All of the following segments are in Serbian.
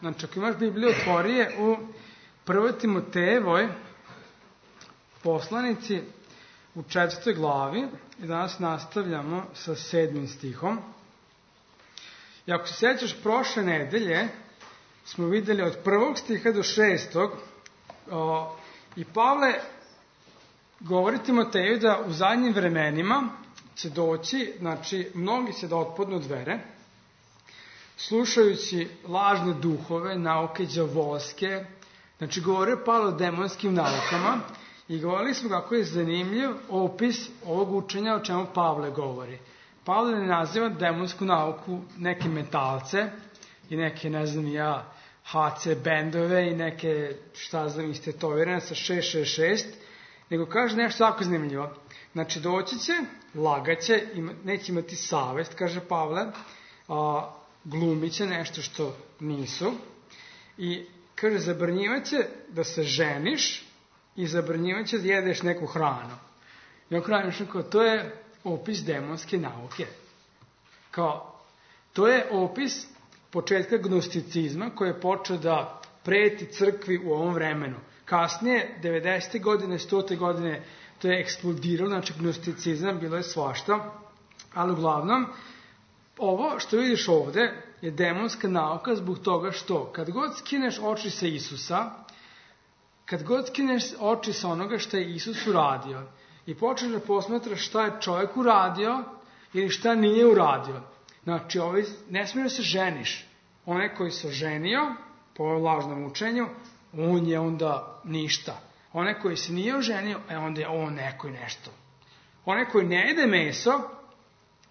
Znači, ako imaš Bibliju, otvori je u 1. Timotejevoj poslanici u 4. glavi i danas nastavljamo sa 7. stihom. I ako se sjećaš, prošle nedelje smo videli od 1. stiha do 6. I Pavle govori Timoteju da u zadnjim vremenima će doći, znači, mnogi će da otpadnu od vere, slušajući lažne duhove, nauke đavolske. Znači, govorio Pavle o demonskim naukama i govorili smo kako je zanimljiv opis ovog učenja o čemu Pavle govori. Pavle ne naziva demonsku nauku neke metalce i neke, ne znam ja, HC bendove i neke, šta znam, istetovirane sa 666, nego kaže nešto jako zanimljivo. Znači, doći će, lagaće, neće imati savest, kaže Pavle, glumit će nešto što nisu i, kaže, zabranjivaće da se ženiš i zabranjivaće da jedeš neku hranu. I on kraju kao, to je opis demonske nauke. Kao, to je opis početka gnosticizma koji je počeo da preti crkvi u ovom vremenu. Kasnije, 90. godine, 100. godine, to je eksplodiralo, znači gnosticizam, bilo je svašta, ali uglavnom, ovo što vidiš ovde je demonska nauka zbog toga što kad god skineš oči sa Isusa, kad god skineš oči sa onoga što je Isus uradio i počneš da posmatraš šta je čovjek uradio ili šta nije uradio, znači ne smiješ da se ženiš. Onaj koji se ženio, po ovom lažnom učenju, on je onda ništa. Onaj koji se nije oženio, onda je on neko i nešto. Onaj koji ne jede meso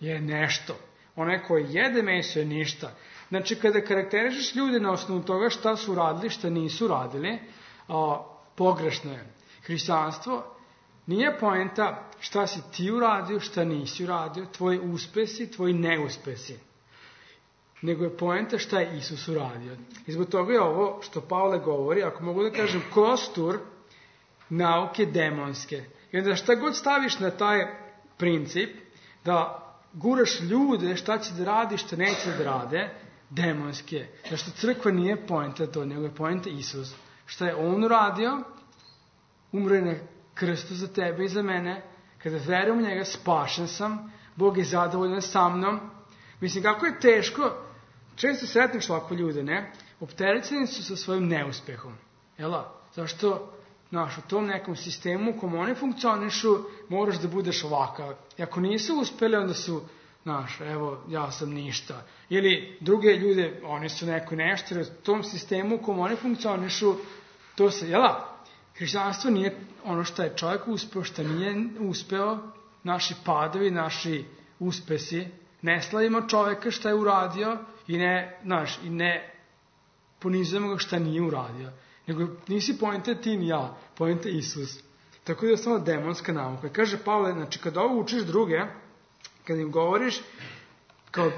je nešto. Onaj koji jede meso je ništa. Znači, kada karakterišeš ljude na osnovu toga šta su radili, šta nisu radili, pogrešno je. Hrišćanstvo nije poenta šta si ti uradio, šta nisi uradio, tvoji uspesi, tvoji neuspesi. Nego je poenta šta je Isus uradio. I zbog toga je ovo što Pavle govori, ako mogu da kažem, kostur nauke demonske. I onda šta god staviš na taj princip, da guraš ljude šta će da radi, šta neće da rade, demonske. Zašto crkva nije poenta to, nego je poenta Isus. Šta je on uradio? Umro je na krstu za tebe i za mene. Kada verujem u njega, spašen sam. Bog je zadovoljan sa mnom. Mislim, kako je teško, često sretniš ovako ljude, ne? Opterećeni su sa svojim neuspehom. Jela? Zašto, u tom nekom sistemu u kom oni funkcionišu, moraš da budeš ovakav. I ako nisu uspeli, onda su, evo, ja sam ništa. Ili druge ljude, oni su neko nešto, jer u tom sistemu u kom oni funkcionišu, to se, hrišćanstvo nije ono što je čovjek uspeo, što nije uspeo, naši padovi, naši uspesi, ne slavimo čovjeka šta je uradio i ne ponizujemo ga šta nije uradio. Nego nisi poenta ti ni ja, poenta Isus. Tako da je samo demonska nauka. Kaže Pavle, znači kada ovo učiš druge, kada im govoriš, kao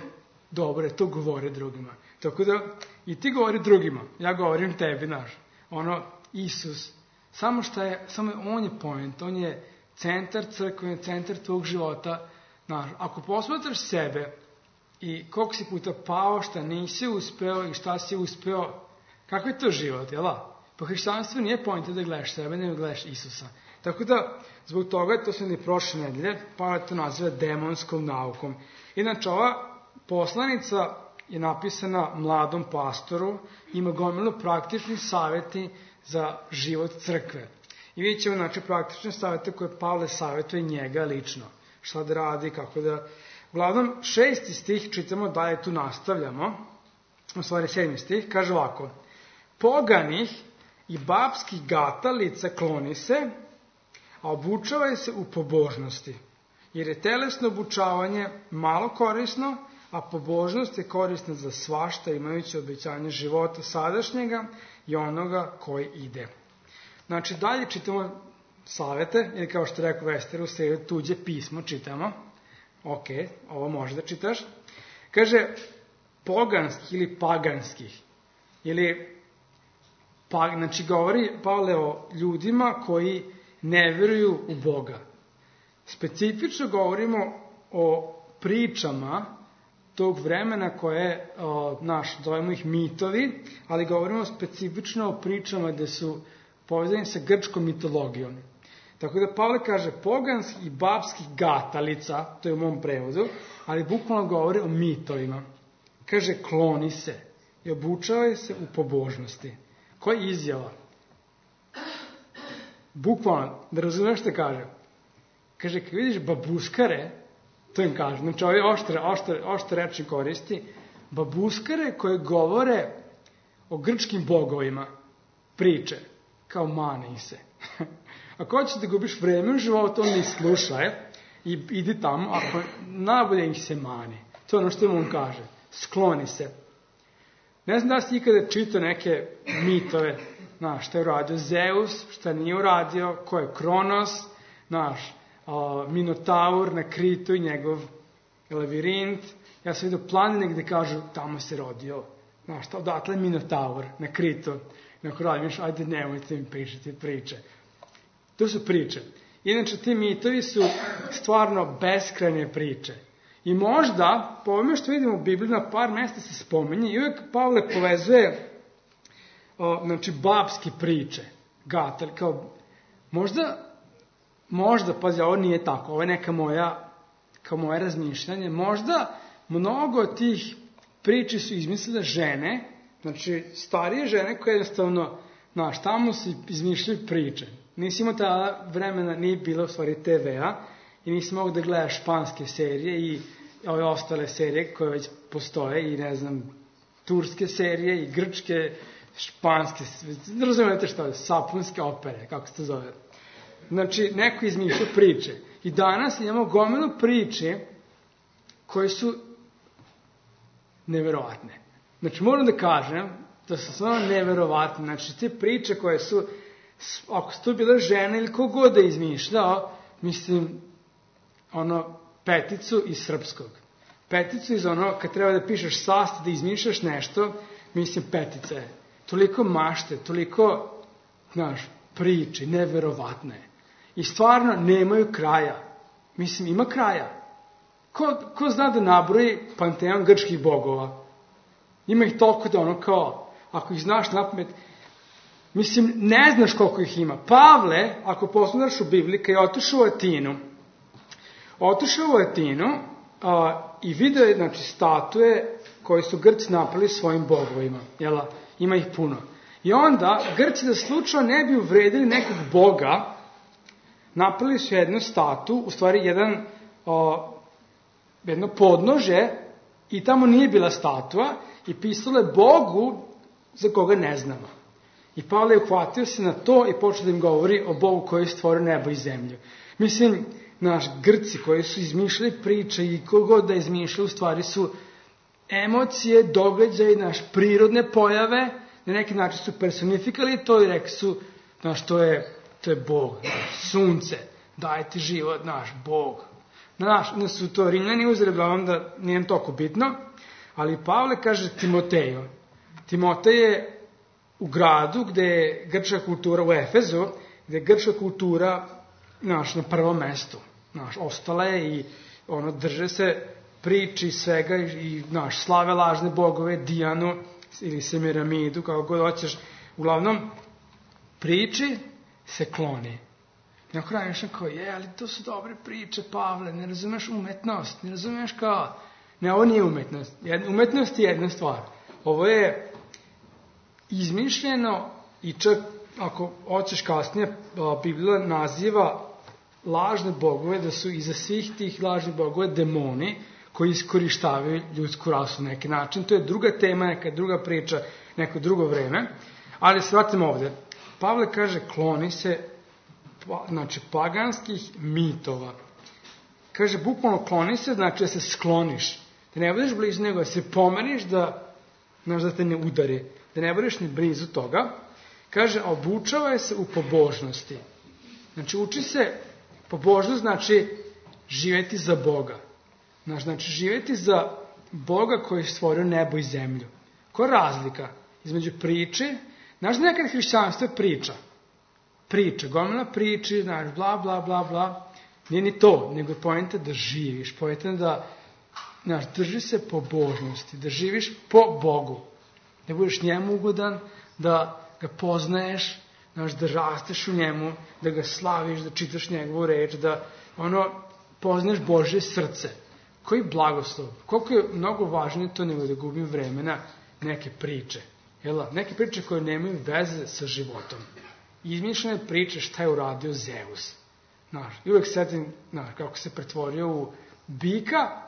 dobro, to govore drugima. Tako da i ti govori drugima, ja govorim tebi, Isus. Samo on je point, on je centar crkve, on je centar tvog života. Ako posmatraš sebe i koliko si puta pao, šta nisi uspeo i šta si uspeo, kako je to život, Po hrišćanstvu nije pojenta da gledaš sebe, nego gledaš Isusa. Tako da, zbog toga, to smo i prošle nedelje, Pavle to naziva demonskom naukom. Inače, ova poslanica je napisana mladom pastoru, ima gomilu praktični savjeti za život crkve. I vidjet ćemo, praktične savjete koje Pavle savjetuje njega lično. Šta da radi, kako da... Uglavnom, 6. stih, čitamo dalje, tu nastavljamo, u stvari 7. stih, kaže ovako: poganih i babskih gatalica kloni se, a obučavaj se u pobožnosti, jer je telesno obučavanje malo korisno, a pobožnost je korisna za svašta, imajući obećanje života sadašnjega i onoga koji ide. Znači, dalje čitamo savjete, ili kao što rekao Vester, u sredu tuđe pismo čitamo. Ok, ovo može da čitaš. Kaže, poganskih ili paganskih. Znači, govori Pavle o ljudima koji ne veruju u Boga. Specifično govorimo o pričama tog vremena koje, zovemo ih mitovi, ali govorimo specifično o pričama gde su povezani sa grčkom mitologijom. Tako da Pavle kaže poganskih i babskih gatalica, to je u mom prevodu, ali bukvalno govori o mitovima. Kaže kloni se i obučavaj se u pobožnosti. Koja je izjava? Bukvalno, da razumeš što kaže. Kaže, kad vidiš babuskare, to im kaže, znači ovaj oštre reči koristi, babuskare koje govore o grčkim bogovima, priče, kao mani se. Ako hoćeš da gubiš vreme u životu, on ne slušaj i idi tamo, ako najbolje ih se mani. To je ono što im on kaže. Skloni se. Ne znam da si ikada čitao neke mitove, šta je uradio Zeus, šta nije uradio, ko je Kronos, Minotaur na Kritu i njegov lavirint. Ja sam vidio planine gde kažu, tamo se rodio. Odatle je Minotaur na Kritu. Neko radiš, ajde nemojte mi pričati priče. To su priče. Inače, ti mitovi su stvarno beskrajne priče. I možda, po ovome što vidimo u Bibliji, na par mesta se spominje i uvijek Pavle povezuje babske priče. Gatel, kao, možda, pazi, ovo nije tako, ovo je neka moje razmišljanje, možda mnogo od tih priči su izmislile žene, znači starije žene koje jednostavno, tamo su izmišljaju priče. Nisi imao tada vremena, nije bilo u stvari TV-a i nisi mogu da gledaš španske serije i ove ostale serije koje već postoje i turske serije i grčke, španske, razumijete što je, sapunske opere, kako se to zove. Znači, neko izmišlja priče. I danas imamo gomilu priče koje su neverovatne. Znači, moram da kažem da su stvarno neverovatne. Znači, te priče koje su, ako su to bila žena ili kogod da je izmišljao, mislim, peticu iz srpskog. Peticu iz kad treba da pišeš sastav, da izmišljaš nešto, mislim, petica je. Toliko mašte, toliko, priče, neverovatne. I stvarno nemaju kraja. Mislim, ima kraja. Ko zna da nabroji panteon grčkih bogova? Ima ih toliko da ako ih znaš napamet, mislim, ne znaš koliko ih ima. Pavle, ako poslušaš u Bibliji, kad je otišao u Atinu i video je, statue koje su Grci napravili svojim bogovima. Ima ih puno. I onda, Grci da slučajno ne bi uvredili nekog boga, napravili su jednu statu, u stvari jedno podnože, i tamo nije bila statua, i pisalo je Bogu za koga ne znamo. I Pavle je uhvatio se na to i počeo da im govori o Bogu koji je stvorio nebo i zemlju. Mislim, Grci koji su izmišljali priče i kogod da izmišljaju, u stvari su emocije, događaji, prirodne pojave, na neki način su personifikali to i rekli su, to je Bog, sunce, daje ti život, Bog. Da su to Rimljani uzeli, uglavnom da nije toliko bitno, ali Pavle kaže Timoteju. Timotej je u gradu gde je grčka kultura, u Efezu, gde je grčka kultura na prvom mestu. Ostala je i drže se priči svega i slave lažne bogove, Dijanu ili Semiramidu, kako god hoćeš. Uglavnom, priči se kloni. Neko radiš kao, ali to su dobre priče, Pavle, ne razumeš umetnost, ne razumeš kao... Ne, ovo nije umetnost. Umetnost je jedna stvar. Ovo je izmišljeno i čak, ako hoćeš kasnije, Biblija naziva lažne bogove, da su iza svih tih lažnih bogove demoni koji iskorištavaju ljudsku rasu na neki način. To je druga tema, neka druga priča, neko drugo vreme. Ali se vratimo ovde. Pavle kaže, kloni se, paganskih mitova. Kaže, bukvalno kloni se, znači da se skloniš. Da ne budeš blizu nego, da se pomeriš da te ne udari. Da ne budeš ni blizu toga. Kaže, obučavaj se u pobožnosti. Znači, uči se, pobožnost znači živjeti za Boga. Znači, živjeti za Boga koji je stvorio nebo i zemlju. Koja je razlika između priče? Znaš da nekada hrišćanstvo je priča. Priča, gomila priči, bla, bla, bla, bla. Nije ni to, nego je poenta da živiš, poenta da znaš, drži se pobožnosti, da živiš po Bogu, da budeš njemu ugodan, da ga poznaješ, znaš, da rasteš u njemu, da ga slaviš, da čitaš njegovu reč, da poznaješ Božje srce. Koji blagoslov, koliko je mnogo važnije to nego da gubim vremena neke priče. Neke priče koje nemaju veze sa životom. Izmišljene priče šta je uradio Zeus. I uvek setim kako se pretvorio u bika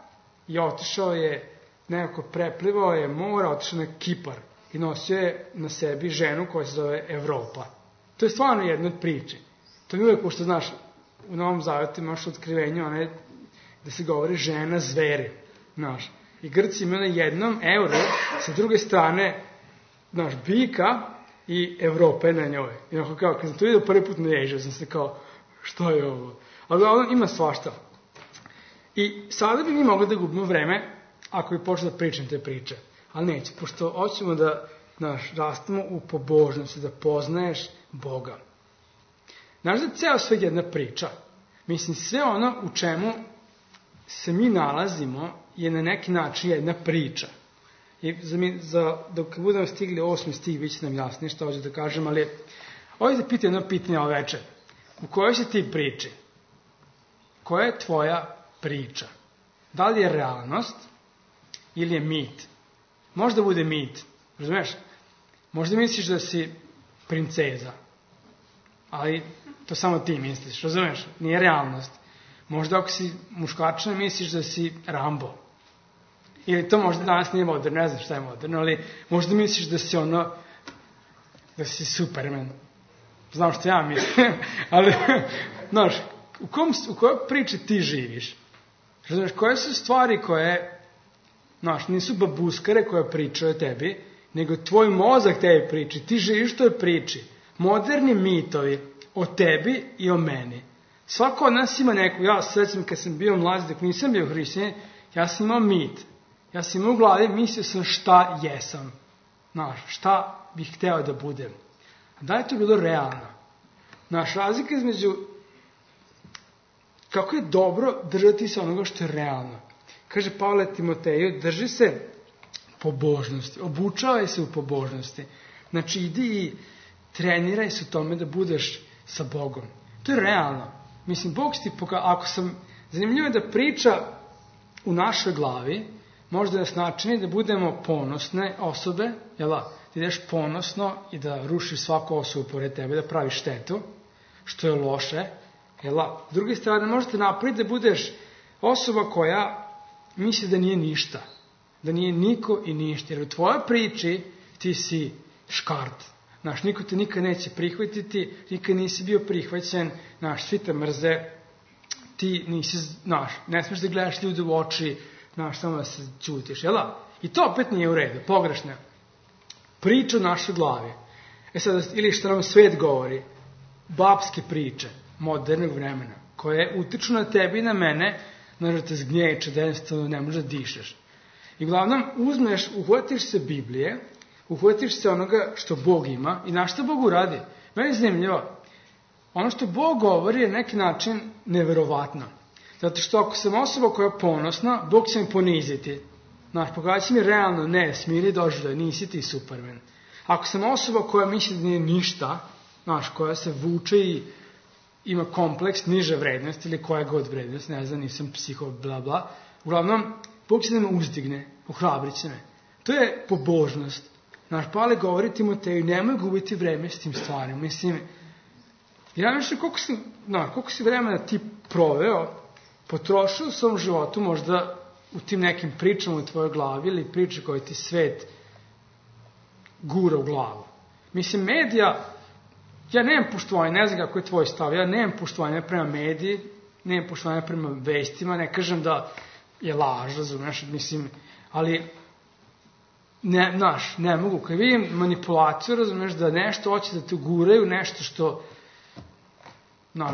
i otišao je, nekako preplivao je mora, otišao na Kipar i nosio je na sebi ženu koja se zove Evropa. To je stvarno jedna od priče. To mi uvek, pošto znaš, u Novom Zavetu imaš otkrivenju, da se govori žena zveri. I Grci imaju na jednom euru, sa druge strane, bika i Evropa je na njoj. I kad sam to vidio prvi put naježio sam se kao, što je ovo? Ali ima svašta. I sada bi mi mogli da gubimo vreme ako bi počeo da pričam te priče. Ali neće, pošto hoćemo da rastemo u pobožnosti, da poznaješ Boga. Znaš da je ceo sve jedna priča. Mislim, sve ono u čemu se mi nalazimo je na neki način jedna priča. I dok budemo stigli 8. stih, bit će nam jasnije što hoću da kažem, ali ovdje te pitam jedno pitanje ove veče. U kojoj si ti priči? Koja je tvoja priča? Da li je realnost ili je mit? Možda bude mit, razumeš? Možda misliš da si princeza, ali to samo ti misliš, razumeš? Nije realnost. Možda ako si muškačina misliš da si Rambo. Ili to možda danas nije moderno, ne znam šta je moderno, ali možda misliš da si da si Superman. Znam što ja mislim, ali, znaš, u kojoj priči ti živiš? Znaš, koje su stvari koje, znaš, nisu babuskare koje pričaju o tebi, nego tvoj mozak tebi priči, ti živiš toj priči. Moderni mitovi o tebi i o meni. Svako od nas ima neku, ja svećam kad sam bio mlađi, dok nisam bio hrišćanin, ja sam imao mit. Ja sam imao u glavi, mislio sam šta jesam. Znaš, šta bih hteo da budem. A da je to bilo realno? Naš razlika između kako je dobro držati se onoga što je realno. Kaže Pavle Timoteju, drži se pobožnosti, obučavaj se u pobožnosti. Znači, idi i treniraj se u tome da budeš sa Bogom. To je realno. Mislim, Bog ti zanimljivo je da priča u našoj glavi, možda nas načini da budemo ponosne osobe, da ideš ponosno i da rušiš svaku osobu pored tebe, da praviš štetu, što je loše. S druge strane, možete napraviti da budeš osoba koja misli da nije ništa, da nije niko i ništa, jer u tvojoj priči ti si škart. Niko te nikad neće prihvatiti, nikad nisi bio prihvaćen, svi te mrze, ti nisi, ne smiješ da gledaš ljude u oči, samo da se ćutiš, I to opet nije u redu, pogrešno. Priča u našoj glavi. Sada, ili što nam svet govori, babske priče, modernog vremena, koje utiču na tebi i na mene, da te zgnječe, da jednostavno ne možeš da dišeš. I uglavnom, uhvatiš se Biblije, uhvatiš se onoga što Bog ima i na što Bog uradi. Meni je zanimljivo. Ono što Bog govori je neki način neverovatno. Zato što ako sam osoba koja je ponosna, Bog će mi poniziti. Pokazati mi realno, ne, smiri doživljaj, nisi ti Superman. Ako sam osoba koja misli da nije ništa, koja se vuče i ima kompleks niže vrednosti ili koja god vrednost, ne znam, nisam psiho, bla bla, uglavnom, Bog će da me uzdigne, ohrabrit će me. To je pobožnost. Pavle govori Timoteju, nemoj gubiti vreme s tim stvarima. Mislim, ja mislim koliko si vremena ti proveo, potrošio u svom životu možda u tim nekim pričama u tvojoj glavi ili priče koje ti svet gura u glavu. Mislim, medija, ja nemam poštovanja, ne znam kako je tvoj stav, ja nemam poštovanja prema mediji, nemam poštovanja prema vestima, ne kažem da je laž, razumeš, mislim, ali ne mogu, kad vidim manipulaciju, razumeš, da nešto hoće da te guraju, nešto što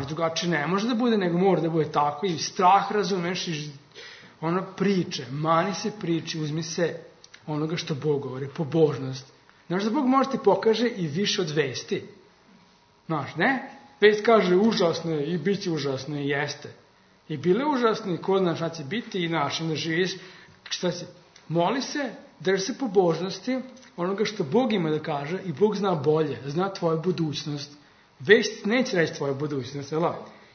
drugačije ne može da bude, nego mora da bude tako, i strah, razumeš, i priče, mani se priči, uzmi se onoga što Bog govori, pobožnost. Znaš da Bog može ti pokaže i više od vesti. Ne? Vest kaže užasno je i bit će užasno i jeste. I bile užasno i ko zna šta će biti i da živiš Šta si? Moli se, drži se pobožnosti, onoga što Bog ima da kaže i Bog zna bolje, zna tvoju budućnost. Već neće reći tvoju budućnost, jel?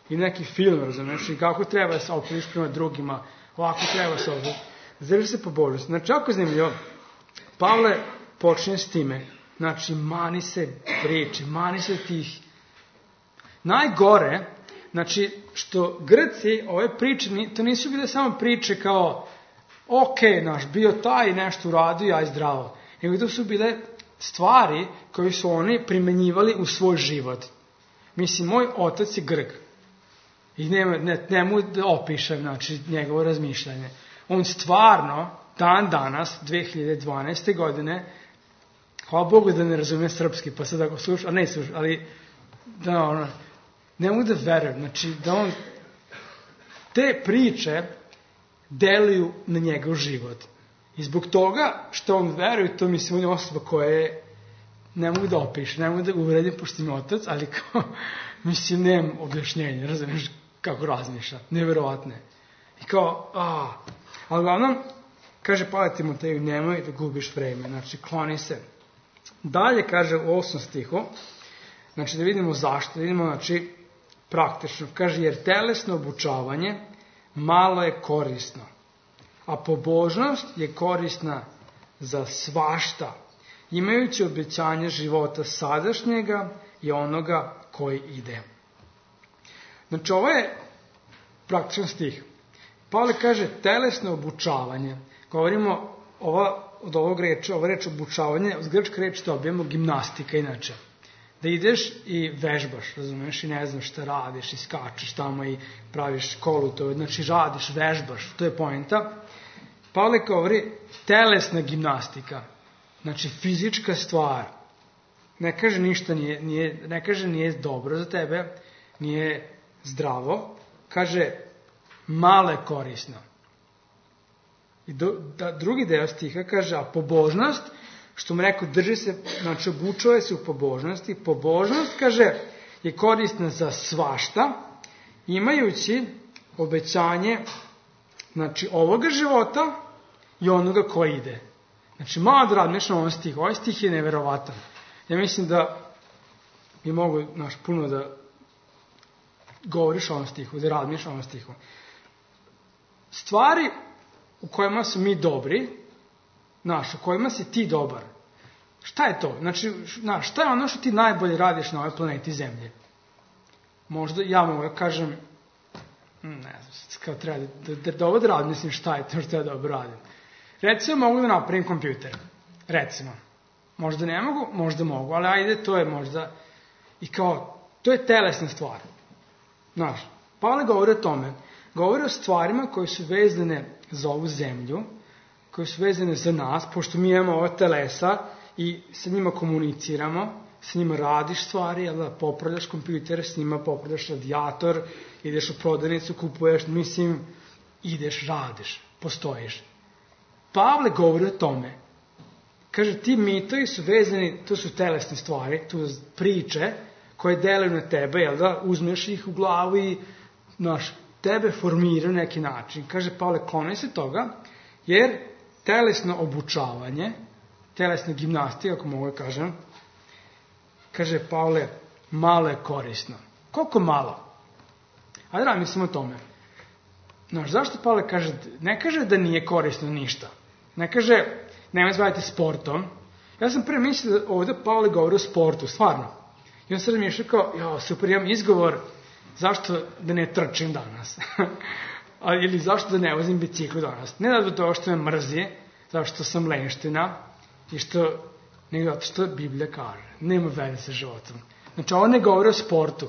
I neki film, razumiješ, i kako treba da se opuniš prema drugima, ovako treba se ovdje. Drži se pobožnosti. Znači, ako je zanimljivo, Pavle počne s time. Znači, mani se priči, mani se tih. Najgore, znači, što Grci, ove priče, to nisu bile samo priče kao, bio taj nešto uradio, aj zdravo. Nego to su bile stvari koje su oni primenjivali u svoj život. Mislim, moj otac je Grk. I ne mu da opišem, znači, njegovo razmišljanje. On stvarno, dan danas, 2012. godine, hvala Bogu da ne razume srpski, pa sad ako sluša, ali ne mogu da verujem, znači, da on te priče deluju na njegov život. I zbog toga što on veruje, to mislim, on je osoba koja je, ne mogu da opišem, ne mogu da uvredim, pošto mi otac, ali kao, mislim, nemam objašnjenje, razumiješ kako razmišlja, nevjerovatne. I kao, ali uglavnom, kaže Pavle Timoteju, nemoj da gubiš vreme, znači, kloni se. Dalje, kaže u 8. stihu, znači, da vidimo zašto, da vidimo, znači, praktično, kaže, jer telesno obučavanje malo je korisno, a pobožnost je korisna za svašta, imajući obećanje života sadašnjega i onoga koji ide. Znači, ovo je praktičan stih. Pavle kaže telesno obučavanje. Govorimo od ovog reči, ova reč obučavanje, od grčke reči dobijemo gimnastika inače. Da ideš i vežbaš, razumiješ, i ne znaš šta radiš, i skačeš tamo i praviš školu, to znači radiš, vežbaš, to je poenta. Pavle govori telesna gimnastika, znači fizička stvar. Ne kaže ništa, ne kaže nije dobro za tebe, nije zdravo, kaže malo je korisno. I drugi deo stiha kaže, a pobožnost, što mu rekao, drži se, znači obučuje se u pobožnosti. Pobožnost, kaže, je korisna za svašta, imajući obećanje, znači, ovoga života i onoga koji ide. Znači, malo da radneš na ovom stihu. Ovaj stih je neverovatan. Ja mislim da bi mogu, puno da govoriš o ovom stihu, da radniš o ovom stihu. Stvari u kojima su mi dobri, u kojima si ti dobar. Šta je to? Znači, šta je ono što ti najbolje radiš na ovoj planeti Zemlje? Možda ja mogu da kažem, ne znam, kao treba da ovo da radim, mislim šta je to što ja dobro radim. Recimo, mogu da napravim kompjuter. Recimo. Možda ne mogu, možda mogu, ali ajde, to je možda, i kao, to je telesna stvar. Znaš, Pavle govori o tome. Govori o stvarima koje su vezane za ovu zemlju, koje su vezane za nas, pošto mi imamo ova telesa i sa njima komuniciramo, s njima radiš stvari, popravljaš kompjuter, s njima popravljaš radijator, ideš u prodavnicu, kupuješ, mislim, ideš, radiš, postojiš. Pavle govori o tome. Kaže, ti mitovi su vezani, to su telesne stvari, to su priče koje deluju na tebe, uzmeš ih u glavu i, tebe formira na neki način. Kaže Pavle, kloni se toga, jer telesno obučavanje, telesna gimnastika, ako mogu da kažem, kaže Pavle, malo je korisno. Koliko malo? Ajde da mislim o tome. Zašto Pavle kaže, ne kaže da nije korisno ništa. Ne kaže, nemoj zvajati sportom. Ja sam prije mislio da ovdje Pavle govori o sportu, stvarno. I on se razmišlja kao, super, imam izgovor, zašto da ne trčim danas? Ili zašto da ne vozim biciklu danas? Ne da do toga što me mrzi, zašto sam lenština, nego zato što Biblija kaže. Nema veze sa životom. Znači, ovo ne govori o sportu.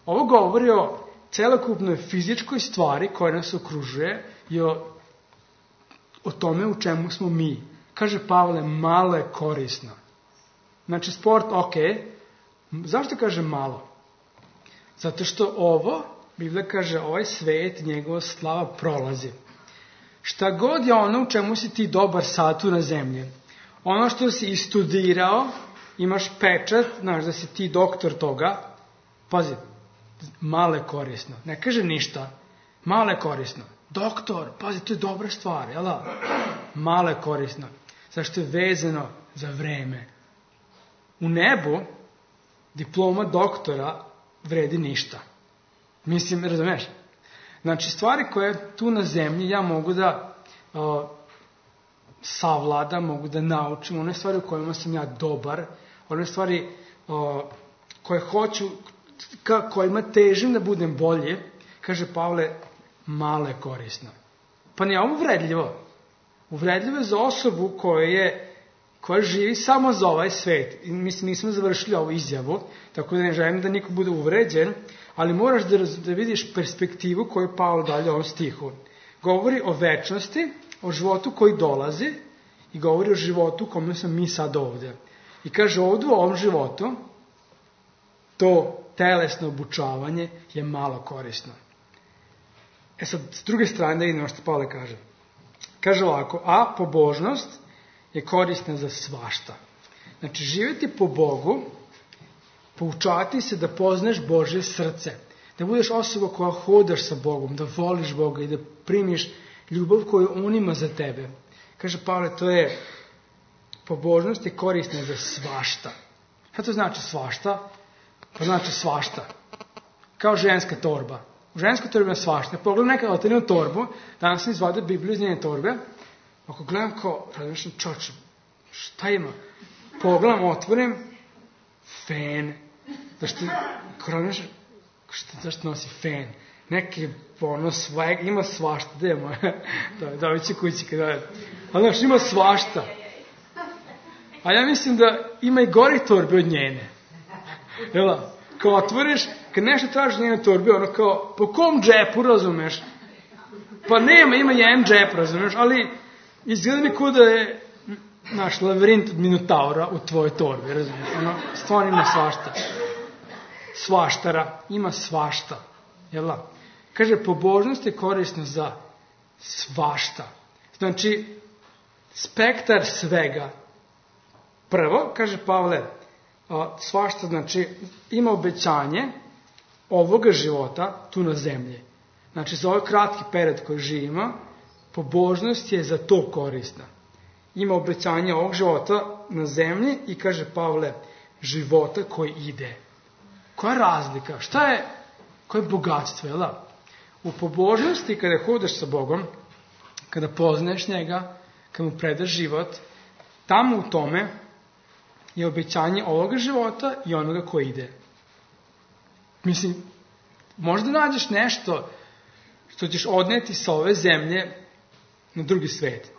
Ovo govori o celokupnoj fizičkoj stvari koja nas okružuje i o tome u čemu smo mi. Kaže Pavle, malo je korisno. Znači, sport, zašto kaže malo? Zato što Biblija kaže, ovaj svet, njegova slava prolazi. Šta god je ono u čemu si ti dobar sad tu na zemlji, ono što si istudirao, imaš pečat, da si ti doktor toga, pazi, malo je korisno. Ne kaže ništa, malo je korisno. doktor, pazi, to je dobra stvar, jel da? Malo je korisno. Zašto je vezano za vreme. U nebu diploma doktora vredi ništa. Mislim, razumeš? Znači, stvari koje tu na zemlji ja mogu da savladam, mogu da naučim, one stvari u kojima sam ja dobar, one stvari koje hoću, kojima težim da budem bolje, kaže Pavle, malo je korisno. Pa nije ovo uvredljivo. Uvredljivo je za osobu koja živi samo za ovaj svet. I mislim, nismo završili ovu izjavu, tako da ne želim da niko bude uvređen, ali moraš da vidiš perspektivu koju Pavle dalje u ovom stihu. Govori o večnosti, o životu koji dolazi i govori o životu u kome smo mi sad ovdje. I kaže ovdje u ovom životu to telesno obučavanje je malo korisno. Sad, s druge strane da vidimo što Pavle kaže. Kaže ovako, a pobožnost je korisna za svašta. Znači, živjeti po Bogu, poučavati se da poznaš Božje srce, da budeš osoba koja hodaš sa Bogom, da voliš Boga i da primiš ljubav koju On ima za tebe. Kaže Pavle, to je pobožnost je korisna za svašta. Šta to znači svašta? To znači svašta. Kao ženska torba. U ženskoj torbi ima svašta. Pogledam nekada otelim u torbu, danas sam izvadio Bibliju iz njene torbe, ako gledam kao, razmišljam, čoče, šta ima? Pogledam, otvorim, fen. Zašto nosi fen? Neki swag, ima svašta, gde je moja? Da će kući kada je. Ali znaš, ima svašta. A ja mislim da ima i gori torbe od njene. Jel? Kao otvoriš, kad nešto tražiš njene torbe, ono kao, po kom džepu, razumeš? Pa ima jedan džep, razumeš, ali izgleda mi kao da je naš lavirint od Minotaura u tvojoj torbi, razumiješ? Ono, stvarno ima svašta. Svaštara, ima svašta. Jel' da? Kaže, pobožnost je korisna za svašta. Znači, spektar svega. Prvo, kaže Pavle, svašta znači ima obećanje ovoga života tu na zemlji. Znači, za ovaj kratki period koji živimo, pobožnost je za to korisna. Ima obećanje ovog života na zemlji i kaže Pavle, života koji ide. Koja je razlika? Koje je bogatstvo? Jel da? U pobožnosti, kada hodaš sa Bogom, kada poznaješ njega, kada mu predaš život, tamo u tome je obećanje ovoga života i onoga koji ide. Mislim, možda nađeš nešto što ćeš odneti sa ove zemlje na drugi svet.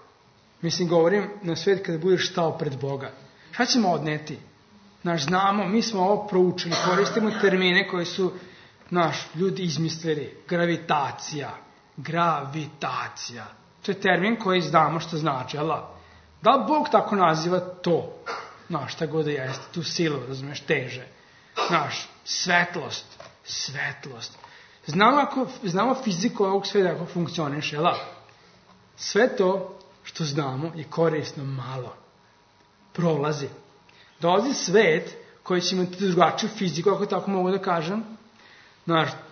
Mislim, govorim na svet kada budeš stao pred Boga. Šta ćemo odneti? Znamo, mi smo ovo proučili, koristimo termine koji su ljudi izmislili. Gravitacija. To je termin koji znamo što znači, ali da li Bog tako naziva to? Šta god da jeste, tu silu, razumiješ, teže. Svetlost. Znamo fiziku ovog sveta kako funkcioniš, jel? Sve to što znamo je korisno malo. Prolazi. Dolazi svet koji će imati drugačiju fiziku, ako tako mogu da kažem.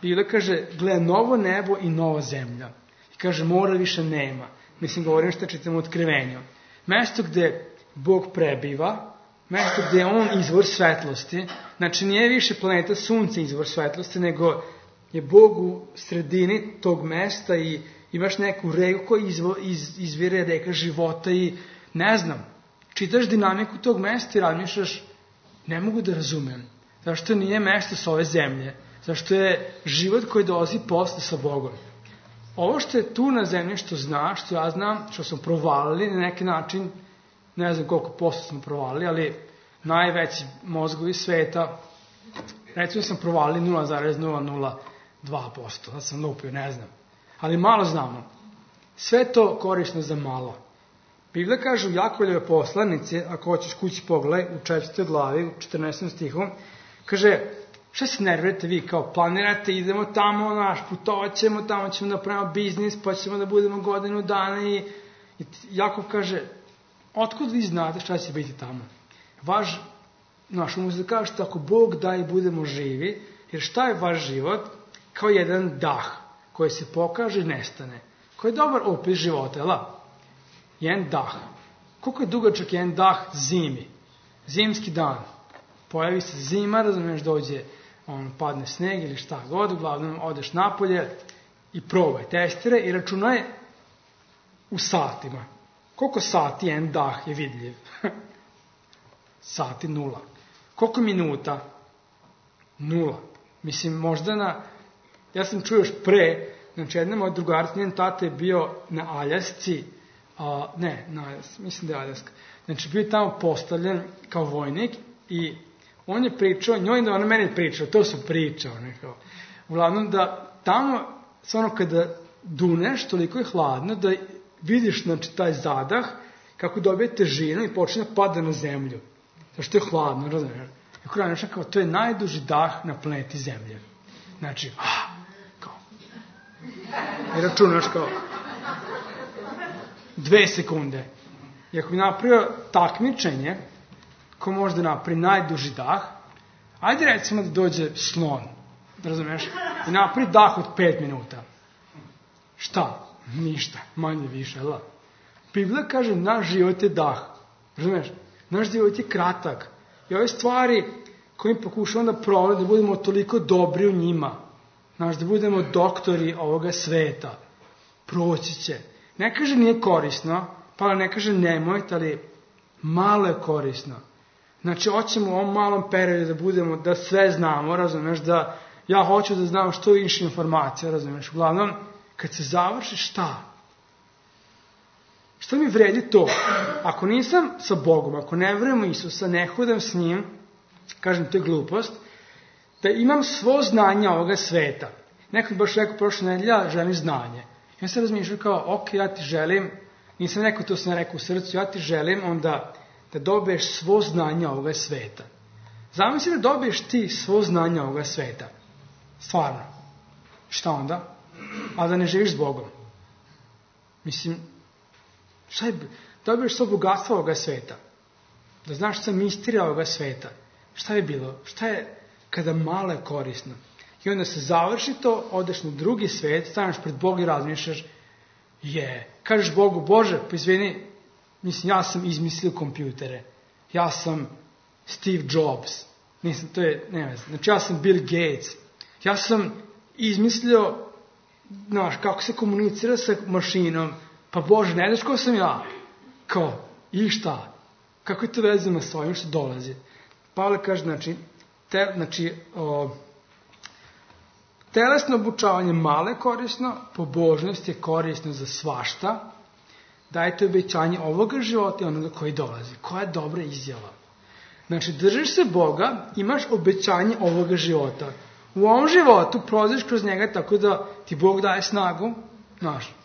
Biblia kaže, gleda novo nebo i nova zemlja. I kaže, mora više nema. Mislim, govorim što čitam u Otkrivenju. Mesto gde Bog prebiva, mesto gde je On izvor svetlosti, znači nije više planeta Sunce izvor svetlosti, nego je Bog u sredini tog mesta i imaš neku reku koja izvire reka života i ne znam, čitaš dinamiku tog mesta i razmišljaš, ne mogu da razumem. Zašto nije mesto s ove zemlje? Zašto je život koji dolazi posle sa Bogom? Ovo što je tu na zemlji, što znaš, što ja znam, što smo provalili na neki način, ne znam koliko posto smo provalili, ali najveći mozgovi sveta, recimo sam provalili 0,002%, sad sam lupio, ne znam. Ali malo znamo. Sve to korisno za malo. Biblia kaže u Jakovljeve poslanici, ako hoćeš kući pogledaj, u 4. glavi, u 14. stihu, kaže, šta se nervirate vi, kao planirate, idemo tamo, putovat ćemo, tamo ćemo da pravimo biznis, pa ćemo da budemo godinu dana i Jakov kaže, otkud vi znate šta će biti tamo? Možda kažete, ako Bog da i budemo živi, jer šta je vaš život? Kao jedan dah koji se pokaže i nestane. koji je dobar opis života, jel? Jedan dah. Koliko je dugačak jedan dah zimi? Zimski dan. Pojavi se zima, razumiješ, dođe, padne sneg ili šta god, uglavnom odeš napolje i probaj, testiraj i računaj u satima. Koliko sati jedan dah je vidljiv? Sati 0. Koliko minuta? 0. Mislim, možda ja sam čuo još pre, znači jedna moja drugarica, njen tata je bio na Aljasci, mislim da je Aljaska, znači bio je tamo postavljen kao vojnik i on je pričao, njoj da ona meni pričao, to su pričao, uglavnom da tamo, stvarno kada duneš, toliko je hladno da vidiš, znači, taj zadah, kako dobije težinu i počne da pada na zemlju. Zašto je hladno, razumiješ? I ako raniš, kao, to je najduži dah na planeti Zemlje. Znači, kao. I računaš kao 2 sekunde. I ako bi napravio takmičenje, ko može da napravi najduži dah, ajde recimo da dođe slon, razumiješ? I napravi dah od 5 minuta. Šta? Ništa, manje više, jel? Biblija kaže, naš život je dah. Razumiješ? Naš život je kratak. I ove stvari koje mi pokušamo da provodimo, da budemo toliko dobri u njima. Znaš, da budemo doktori ovoga sveta. Proći će. Ne kaže nije korisno, pa ne kaže nemojte, ali malo je korisno. Znači, hoćemo u ovom malom periodu da budemo, da sve znamo, razumiješ, da ja hoću da znam što više informacija, razumiješ. Uglavnom, kad se završi, šta? Šta mi vredi to? Ako nisam sa Bogom, ako ne verujem u Isusa, ne hodam s njim, kažem, to je glupost, da imam svo znanje ovoga sveta. Neko je baš rekao prošle nedelje, ja želim znanje. Ja sam razmišljao kao, ok, ja ti želim, nisam rekao, to sam rekao u srcu, ja ti želim onda da dobiješ svo znanje ovoga sveta. Zamisli da dobiješ ti svo znanje ovoga sveta. Stvarno. Šta onda? A da ne živiš s Bogom. Mislim, šta je, dobiješ svo bogatstvo ovoga sveta. Da znaš šta misterija ovoga sveta. Šta je bilo? Šta je kada malo je korisno? I onda se završi to, odeš na drugi svet, staneš pred Boga i razmišljaš, kažeš Bogu, Bože, pa izvini, mislim, ja sam izmislio kompjutere. Ja sam Steve Jobs. Mislim, to je, ne znam, znači ja sam Bill Gates. Ja sam izmislio, znaš, kako se komunicira sa mašinom. Pa Bože, ne znaš ko sam ja? Kao, i šta? Kako je to vezano s ovim što dolazi? Pavle kaže, telesno obučavanje malo je korisno, pobožnost je korisno za svašta, dajte obećanje ovoga života i onoga koji dolazi. Koja je dobra izjava? Znači, držiš se Boga, imaš obećanje ovoga života. U ovom životu prođeš kroz njega tako da ti Bog daje snagu, znaš,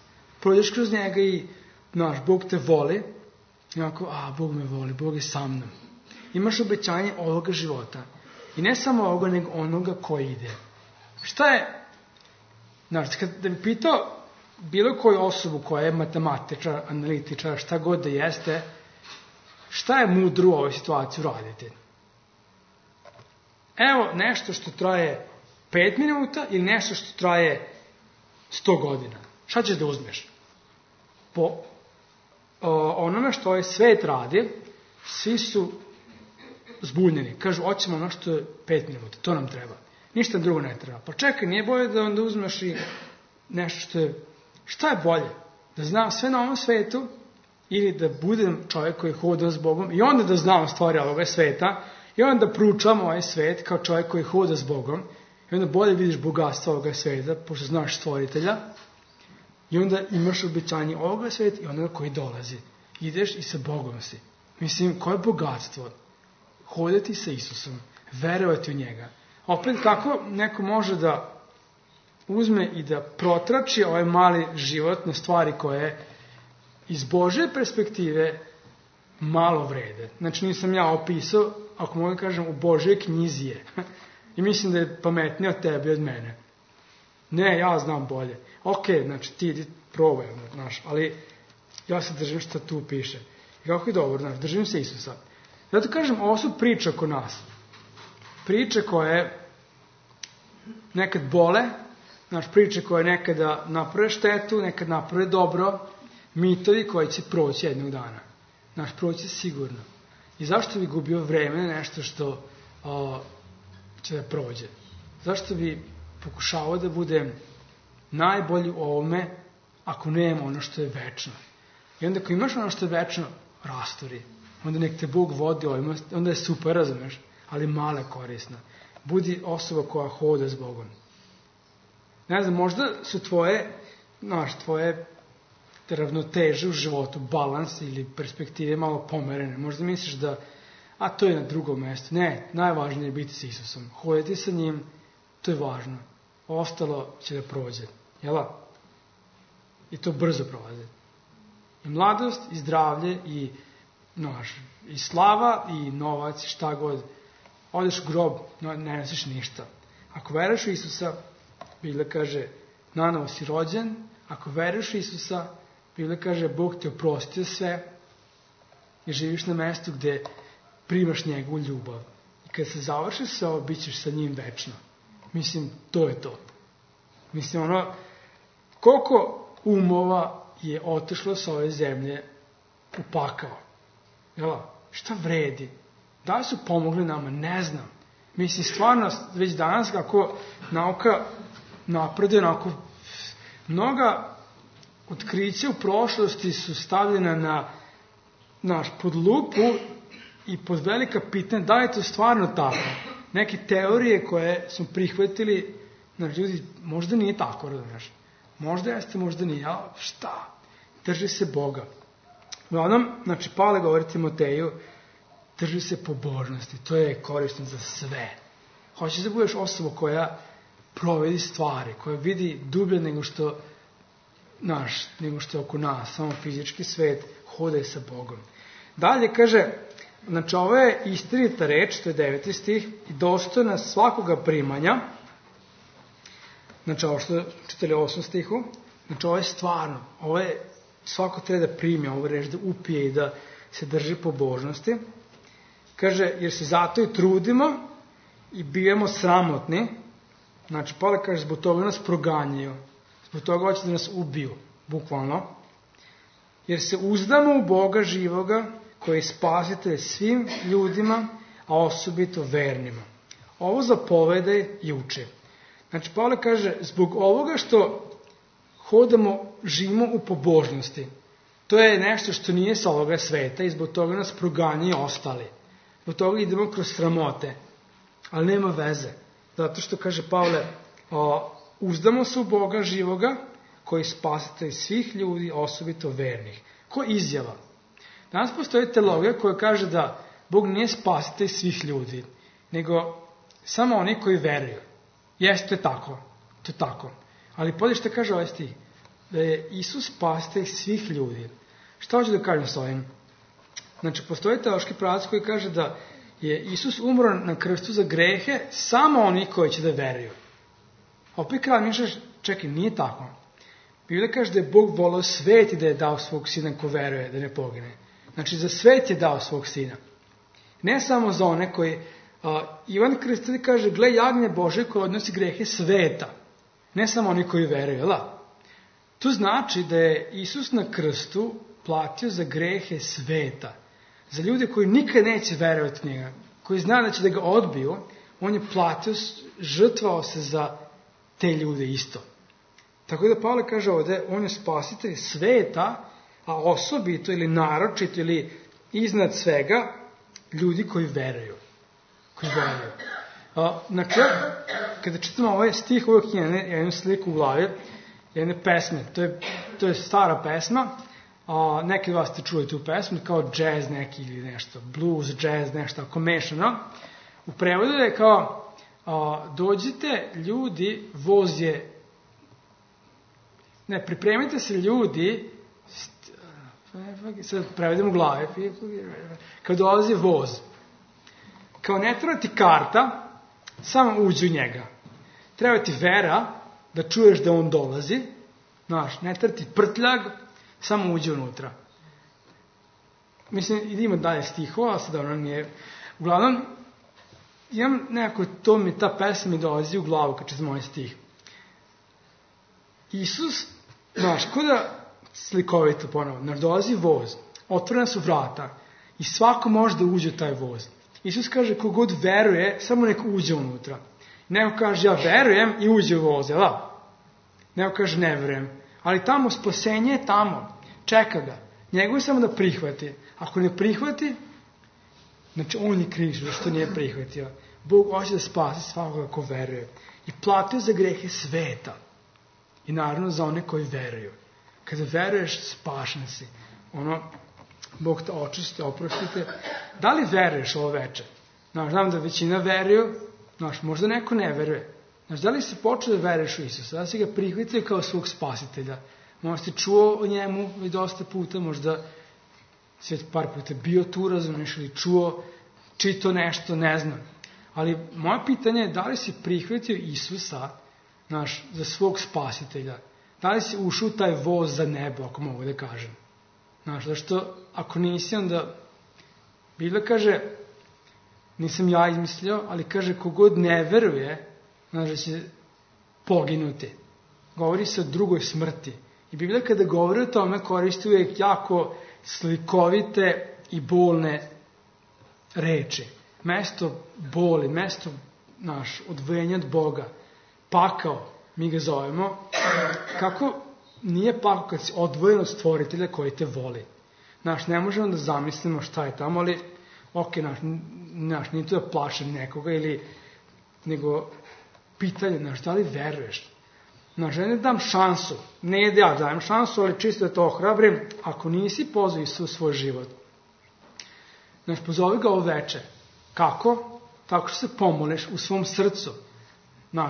prođeš kroz njega i, znaš, Bog te voli, i onako, Bog me voli, Bog je sa mnom. Imaš obećanje ovoga života. I ne samo ovoga, nego onoga koji ide. Šta je, znaš, da bi pitao bilo koju osobu koja je matematičar, analitičar, šta god da jeste, šta je mudro u ovoj situaciji uraditi? Evo nešto što traje 5 minuta ili nešto što traje 100 godina. Šta ćeš da uzmeš? Po onome što ovaj svet radi, svi su zbunjeni. Kažu, hoćemo ono što je 5 minuta, to nam treba. Ništa drugo ne treba. Pa čekaj, nije bolje da onda uzmeš i nešto što je... Šta je bolje? Da znam sve na ovom svetu ili da budem čovjek koji hoda s Bogom i onda da znam stvari ovoga sveta i onda da proučavam ovaj svet kao čovjek koji hoda s Bogom i onda bolje vidiš bogatstvo ovoga sveta pošto znaš stvoritelja i onda imaš obećanje ovoga sveta i onoga koji dolazi. Ideš i sa Bogom si. Mislim, koje je bogatstvo? Hodati sa Isusom, verovati u njega. Opet, kako neko može da uzme i da protrači ovaj mali život na stvari koje iz Božje perspektive malo vrede. Znači, nisam ja opisao, ako mogu kažem, u Božjoj knjizi je. I mislim da je pametnije od tebe i od mene. Ne, ja znam bolje. Ok, znači, ti idi probaj, znaš, ali ja se držim što tu piše. I kako je dobro, znaš, držim se Isusa. Zato kažem, ovo su priče oko nas. Priče koje nekad bole, priče koje nekada naprave štetu, nekada naprave dobro, mitovi koji će proći jednog dana. Proći sigurno. I zašto bi gubio vreme na nešto što će da prođe? Zašto bi pokušavao da budem najbolji u ovome ako nemam ono što je večno? I onda ako imaš ono što je večno, rasturi. Onda nek te Bog vodi ovima, onda je super, razumeš, ali male korisna. Budi osoba koja hoda s Bogom. Ne znam, možda su tvoje ravnoteže u životu, balans ili perspektive malo pomerene. Možda misliš da, to je na drugom mjestu. Ne, najvažnije je biti s Isusom. Hoditi sa njim, to je važno. Ostalo će da prođe. Jela? I to brzo prolazi. I mladost, i zdravlje, i slava, i novac, šta god. Odeš u grob, ne nosiš ništa. Ako veruješ u Isusa, Biblija kaže, nanovo si rođen. Ako veruješ u Isusa, Biblija kaže, Bog te oprostio sve i živiš na mestu gde primaš njegovu ljubav. I kad se završi sve ovo, bit ćeš sa njim večno. Mislim, to je to. Mislim, koliko umova je otišlo sa ove zemlje u pakao? Jela, šta vredi? Da li su pomogli nama? Ne znam. Mislim, stvarno, već danas kako nauka napreduje, mnoga otkrića u prošlosti su stavljena pod lupu i pod velika pitanja da li je to stvarno tako. Neke teorije koje smo prihvatili, ljudi, možda nije tako, razumiješ. Možda jeste, možda nije, ali šta? Drži se Boga. Uglavnom, Pavle govori Timoteju, drži se pobožnosti, to je korisno za sve. Hoćeš da budeš osoba koja provedi stvari, koja vidi dublje nego što je oko nas, samo fizički svet, hodaj sa Bogom. Dalje kaže, ovo je istinita reč, to je 9. stih, i dostojna svakoga primanja, ovo što čitali 8. stihu, ovo je stvarno, svako treba da primi ovu reč, da upije i da se drži pobožnosti. Kaže, jer se zato i trudimo i bijemo sramotni. Pavle kaže, zbog toga nas proganjaju. Zbog toga hoće da nas ubiju, bukvalno. Jer se uzdamo u Boga živoga, koji je spasitelj svim ljudima, a osobito vernima. Ovo zapovedaj i uče. Pavle kaže, zbog ovoga što hodamo, živimo u pobožnosti. To je nešto što nije sa ovoga sveta i zbog toga nas proganjaju ostali. Zbog toga idemo kroz sramote. Ali nema veze. Zato što, kaže Pavle, uzdamo se u Boga živoga, koji spasitelj svih ljudi, osobito vernih. Ko izjava? Danas postoji teologija koja kaže da Bog nije spasitelj svih ljudi, nego samo oni koji veruju. Jeste, to je tako. Ali podje što kaže ovaj stih, da je Isus spasitelj svih ljudi. Šta hoću da kažem s ovim? Postoji teološki pravac koji kaže da je Isus umro na krstu za grehe samo oni koji će da veruju. Opet kada mišljaš, čekaj, nije tako. Biblija kaže da je Bog voleo svet i da je dao svog sina ko veruje, da ne pogine. Za svet je dao svog sina. Ne samo za one koji... Ivan Krstitelj kaže, gle jagnje Bože koje odnosi grehe sveta. Ne samo oni koji veruju, To znači da je Isus na krstu platio za grehe sveta. Za ljude koji nikad neće verovati u njega, koji zna da će da ga odbiju, on je platio, žrtvao se za te ljude isto. Tako da Pavle kaže ovdje, on je spasitelj sveta, a osobito ili naročito ili iznad svega ljudi koji veruju. Kada čitamo ovaj stih, uvijek je jednu sliku u glavi, jedne pesme. To je stara pesma. Neki od vas ste čuli tu pesmu, kao jazz neki ili nešto, blues, jazz, nešto ako mešano. U prevodu je kao, dođite ljudi, voz je, pripremite se ljudi, sad prevedem u glavi, kao dolazi voz. Kao ne treba ti karta, samo uđi u njega. Treba ti vera da čuješ da on dolazi, ne treba ti prtljag, samo uđe unutra. Mislim, idemo dalje stihova, sad ono nije... Uglavnom, imam nekako, ta pesma mi dolazi u glavu kad čitam ovaj stih. Isus, znaš, ko da slikovito ponovo, znaš, dolazi voz, otvorena su vrata i svako može da uđe u taj voz. Isus kaže, kogod veruje, samo nek uđe unutra. Neko kaže, ja verujem i uđe u voz, jel da? Neko kaže, ne verujem. Ali tamo, spasenje je tamo, čeka ga. Njegov je samo da prihvati. Ako ne prihvati, znači on je kriv što nije prihvatio. Bog hoće da spasi svakoga ko veruje. I platio za grehe sveta. I naravno za one koji veruju. Kada veruješ, spašen si. Bog te očisti, oprostite. Da li veruješ ovo veče? Znam da većina veruju, možda neko ne veruje. Da li si počeo da veruješ u Isusa? Da li si ga prihvatio kao svog spasitelja? Možda si čuo o njemu i dosta puta, možda si par puta bio tu, razumiješ, ili čuo, čito nešto, ne znam. Ali moje pitanje je da li si prihvatio Isusa za svog spasitelja? Da li si ušao u taj voz za nebo, ako mogu da kažem? Zašto ako nisi, onda Biblia kaže, nisam ja izmislio, ali kaže kogod ne veruje, da će poginuti. Govori se o drugoj smrti. I Biblia kada govori o tome koristi uvijek jako slikovite i bolne reči. Mesto boli, mesto odvojenja od Boga, pakao, mi ga zovemo, kako nije pakao kad si odvojen od stvoritelja koji te voli. Ne možemo da zamislimo šta je tamo, ali nije to da plašim nekoga nego pitanje, da li veruješ? Ja ne dam šansu, ne da ja dajem šansu, ali čisto da to ohrabrim, ako nisi pozvao Isusa u svoj život. Pozovi ga ovo veče. Kako? Tako što se pomoliš u svom srcu.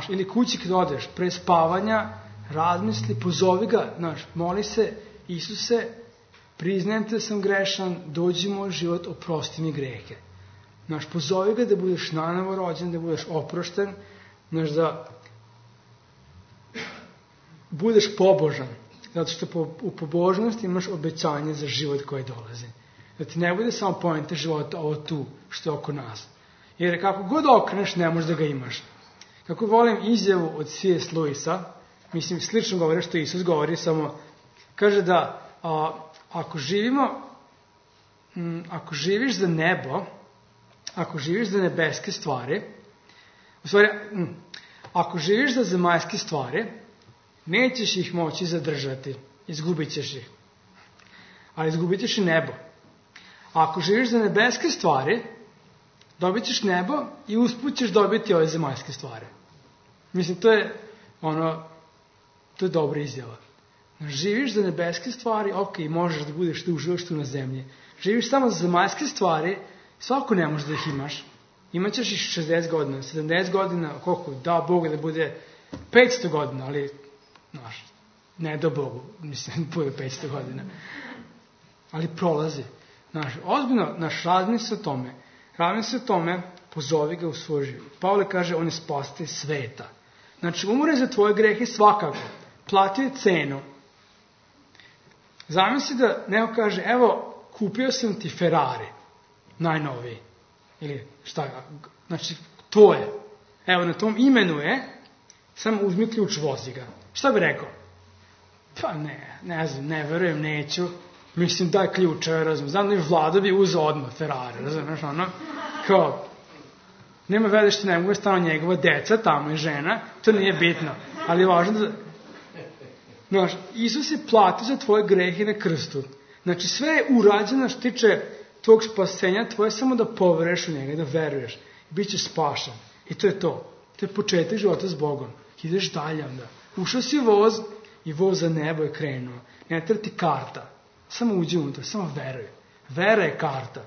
Ili kući kad odeš, pre spavanja, razmisli, pozovi ga, moli se, Isuse, priznajem te da sam grešan, dođi u moj život, oprosti mi grehe. Pozovi ga da budeš nanovo rođen, da budeš oprošten, da budeš pobožan, zato što u pobožnosti imaš obećanje za život koji dolazi. Da ti ne bude samo poenta života ovo tu, što je oko nas. Jer kako god okreneš, ne možeš da ga imaš. Kako volim izjavu od C.S. Lewisa, mislim, slično govori što Isus govori, samo kaže da ako živiš za nebo, ako živiš za nebeske stvari, u stvari, ako živiš za zemaljske stvari, nećeš ih moći zadržati, izgubit ćeš ih. Ali izgubit ćeš i nebo. A ako živiš za nebeske stvari, dobit ćeš nebo i usput ćeš dobiti ove zemaljske stvari. Mislim, to je dobra izjava. Živiš za nebeske stvari, ok, možeš da budeš tu, uživaš tu na zemlji. Živiš samo za zemaljske stvari, svako ne može da ih imaš. Imaćeš ih 60 godina, 70 godina, koliko, da Bogu da bude 500 godina, ali, ne do Bogu, mislim, bude 500 godina. Ali prolazi. Ozbiljno, razmisli o tome, pozovi ga u svoj život. Pavle kaže, on je spasitelj sveta. Umre za tvoje grehe svakako. Platio je cenu. Zamisli da neko kaže, evo, kupio sam ti Ferrari, najnoviji. Ili šta, tvoje. Evo, na tom imenu je, samo uzmi ključ, vozi ga. Šta bi rekao? Pa ne znam, ne verujem, neću. Mislim, daj ključ, znam da je Vlada bi uzeo odmah Ferrari, razumiješ, kao, nema veze što ne mogu stano njegova deca, tamo je žena, to nije bitno, ali je važno da, Isus je platio za tvoje grehe na krstu, sve je urađeno što tiče tvog spasenja, tvoje samo da poveruješ u njega, da veruješ, i bit ćeš spašen, i to je to je početak života s Bogom, ideš dalje onda, ušao si u voz i voz za nebo je krenuo, ne treba ti karta, samo uđi unutra, samo veruj. Vera je karta.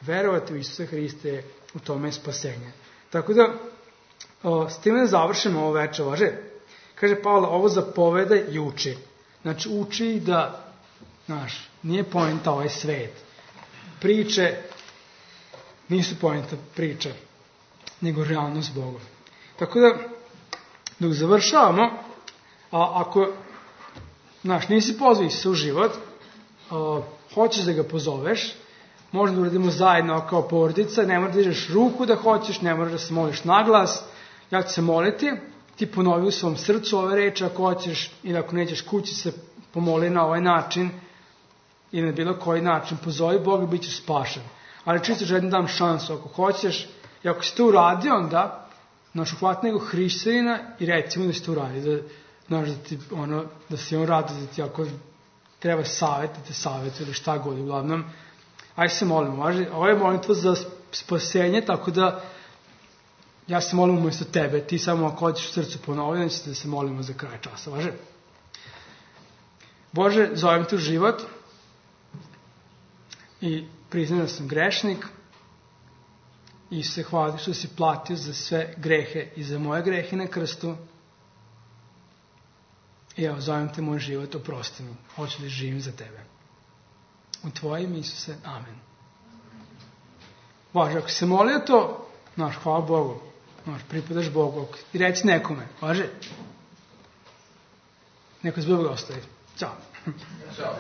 Verovati u Isusa Hrista je u tome spasenje. Tako da, s time da završimo ovo veče, važe. Kaže Pavle, ovo zapoveda i uči. Uči da, nije poenta ovaj svet. Priče nisu poenta priče, nego realnost Boga. Tako da, dok završavamo, ako, nisi pozvao Isusa u život, hoćeš da ga pozoveš, možda da uradimo zajedno kao porodica, ne moraš da dižeš ruku da hoćeš, ne moraš da se moliš na glas, ja ću se moliti, ti ponovi u svom srcu ove reči, ako hoćeš ili ako nećeš kući se pomoli na ovaj način ili na bilo koji način, pozovi Boga i bit ćeš spašen. Ali čisto želim dam šansu, ako hoćeš, i ako si to uradio, onda uhvati nego hrišćanina i recimo da si to uradio, da si on rado, da ti ako treba savjet, da te savjetu ili šta god, uglavnom, ajde se molimo, važi, ovo je molitva za spasenje, tako da ja se molim umjesto tebe, ti samo ako hoćeš u srcu ponoviti, da se molimo za kraj časa, važi? Bože, zovem te u život i priznam da sam grešnik i se hvala što si platio za sve grehe i za moje grehe na krstu. I evo, zovem te moj život, oprosti mi, hoću da živim za tebe. U tvojim, Isuse, amen. Važe, ako se molio to, hvala Bogu, pripadaš Bogu, i reci nekome, važe? Neko se Boga ostavi. Ćao. Ćao.